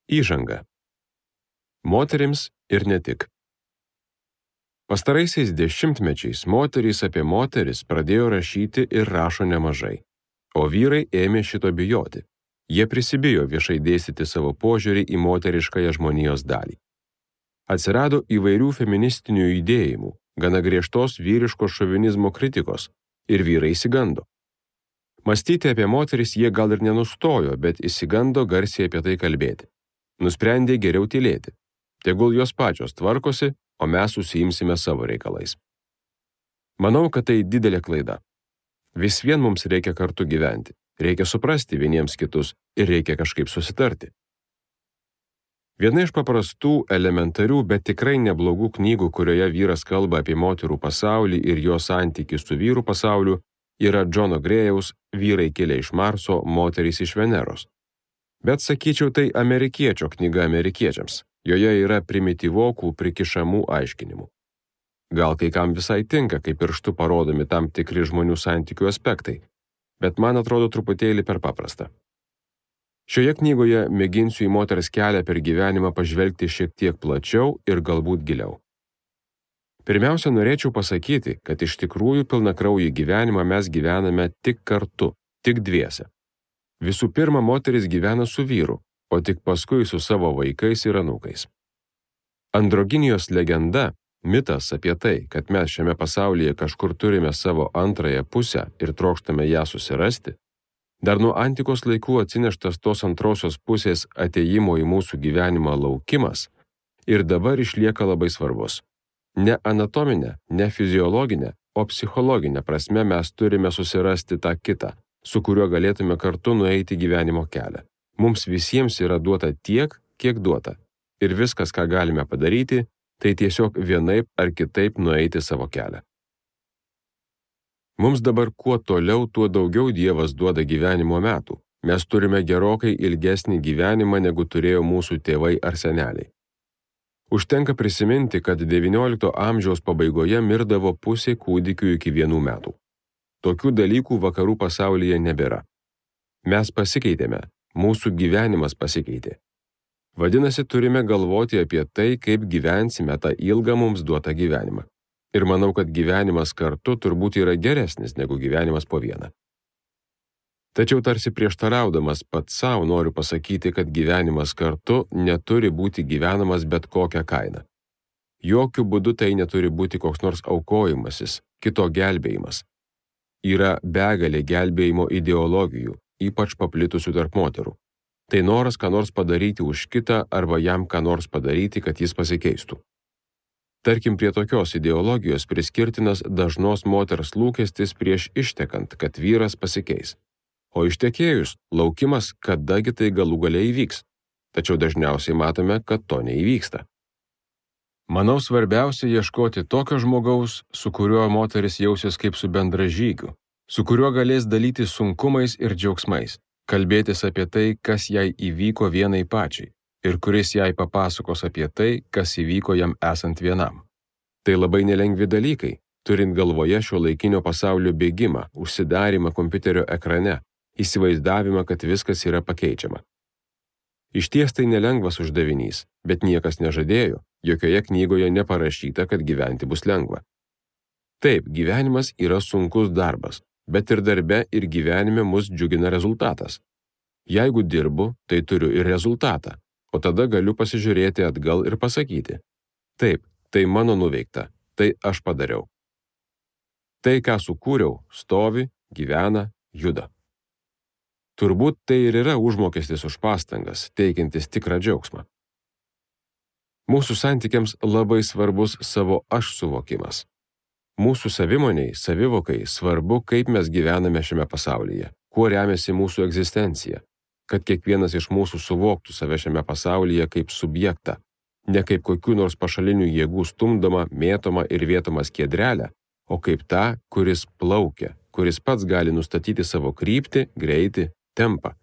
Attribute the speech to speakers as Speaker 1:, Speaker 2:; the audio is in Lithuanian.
Speaker 1: Įžanga. Moterims ir ne tik. Pastaraisiais dešimtmečiais moterys apie moteris pradėjo rašyti ir rašo nemažai, o vyrai ėmė šito bijoti. Jie prisibijo viešai dėstyti savo požiūrį į moteriškąją žmonijos dalį. Atsirado įvairių feministinių judėjimų, gana griežtos vyriško šovinizmo kritikos, ir vyrai išsigando. Mąstyti apie moteris jie gal ir nenustojo, bet išsigando garsiai apie tai kalbėti. Nusprendė geriau tylėti. Tegul jos pačios tvarkosi, o mes užsiimsime savo reikalais. Manau, kad tai didelė klaida. Vis vien mums reikia kartu gyventi, reikia suprasti vieniems kitus ir reikia kažkaip susitarti. Viena iš paprastų, elementarių, bet tikrai neblogų knygų, kurioje vyras kalba apie moterų pasaulį ir jo santykį su vyrų pasauliu, yra Džono Grėjaus Vyrai kilę iš Marso, moterys iš Veneros. Bet sakyčiau, tai amerikiečio knyga amerikiečiams. Joje yra primityvokų prikišamų aiškinimų. Gal kai kam visai tinka, kaip pirštu parodomi tam tikri žmonių santykių aspektai, bet man atrodo truputėlį per paprasta. Šioje knygoje mėginsiu į moters kelią per gyvenimą pažvelgti šiek tiek plačiau ir galbūt giliau. Pirmiausia, norėčiau pasakyti, kad iš tikrųjų pilnakraujį gyvenimą mes gyvename tik kartu, tik dviese. Visų pirma, moteris gyvena su vyru, o tik paskui su savo vaikais ir anūkais. Androginijos legenda, mitas apie tai, kad mes šiame pasaulyje kažkur turime savo antrąją pusę ir trokštame ją susirasti, dar nuo antikos laikų atsineštas tos antrosios pusės atėjimo į mūsų gyvenimą laukimas ir dabar išlieka labai svarbus. Ne anatominė, ne fiziologinė, o psichologinė prasme mes turime susirasti tą kitą, su kuriuo galėtume kartu nueiti gyvenimo kelią. Mums visiems yra duota tiek, kiek duota. Ir viskas, ką galime padaryti, tai tiesiog vienaip ar kitaip nueiti savo kelią. Mums dabar kuo toliau, tuo daugiau Dievas duoda gyvenimo metų. Mes turime gerokai ilgesnį gyvenimą, negu turėjo mūsų tėvai ar seneliai. Užtenka prisiminti, kad XIX amžiaus pabaigoje mirdavo pusė kūdikių iki 1 metų. Tokių dalykų vakarų pasaulyje nebėra. Mes pasikeitėme. Mūsų gyvenimas pasikeitė. Vadinasi, turime galvoti apie tai, kaip gyvensime tą ilgą mums duotą gyvenimą. Ir manau, kad gyvenimas kartu turbūt yra geresnis negu gyvenimas po vieną. Tačiau tarsi prieštaraudamas pats savo noriu pasakyti, kad gyvenimas kartu neturi būti gyvenamas bet kokią kainą. Jokių būdų tai neturi būti koks nors aukojimasis, kito gelbėjimas. Yra begalė gelbėjimo ideologijų, ypač paplitusių tarp moterų. Tai noras ką nors padaryti už kitą arba jam ką nors padaryti, kad jis pasikeistų. Tarkim, prie tokios ideologijos priskirtinas dažnos moters lūkestis prieš ištekant, kad vyras pasikeis. O ištekėjus, laukimas, kadagi tai galų gale įvyks. Tačiau dažniausiai matome, kad to neįvyksta. Manau, svarbiausia ieškoti tokio žmogaus, su kuriuo moteris jausis kaip su bendražygiu, su kuriuo galės dalytis sunkumais ir džiaugsmais, kalbėtis apie tai, kas jai įvyko vienai pačiai, ir kuris jai papasakos apie tai, kas įvyko jam esant vienam. Tai labai nelengvi dalykai, turint galvoje šiuolaikinio pasaulio bėgimą, užsidarymą kompiuterio ekrane, įsivaizdavimą, kad viskas yra pakeičiama. Išties tai nelengvas uždavinys, bet niekas nežadėjo, jokioje knygoje neparašyta, kad gyventi bus lengva. Taip, gyvenimas yra sunkus darbas, bet ir darbe ir gyvenime mus džiugina rezultatas. Jeigu dirbu, tai turiu ir rezultatą, o tada galiu pasižiūrėti atgal ir pasakyti. Taip, tai mano nuveikta, tai aš padariau. Tai, ką sukūriau, stovi, gyvena, juda. Turbūt tai ir yra užmokestis už pastangas, teikiantis tikrą džiaugsmą. Mūsų santykiams labai svarbus savo aš suvokimas. Mūsų savimoniai, savivokai svarbu, kaip mes gyvename šiame pasaulyje, kuo remiasi mūsų egzistencija, kad kiekvienas iš mūsų suvoktų save šiame pasaulyje kaip subjektą, ne kaip kokių nors pašalinių jėgų stumdomą, mėtomą ir vietomą skiedrelę, o kaip tą, kuris plaukia, kuris pats gali nustatyti savo kryptį, greitį, tempą,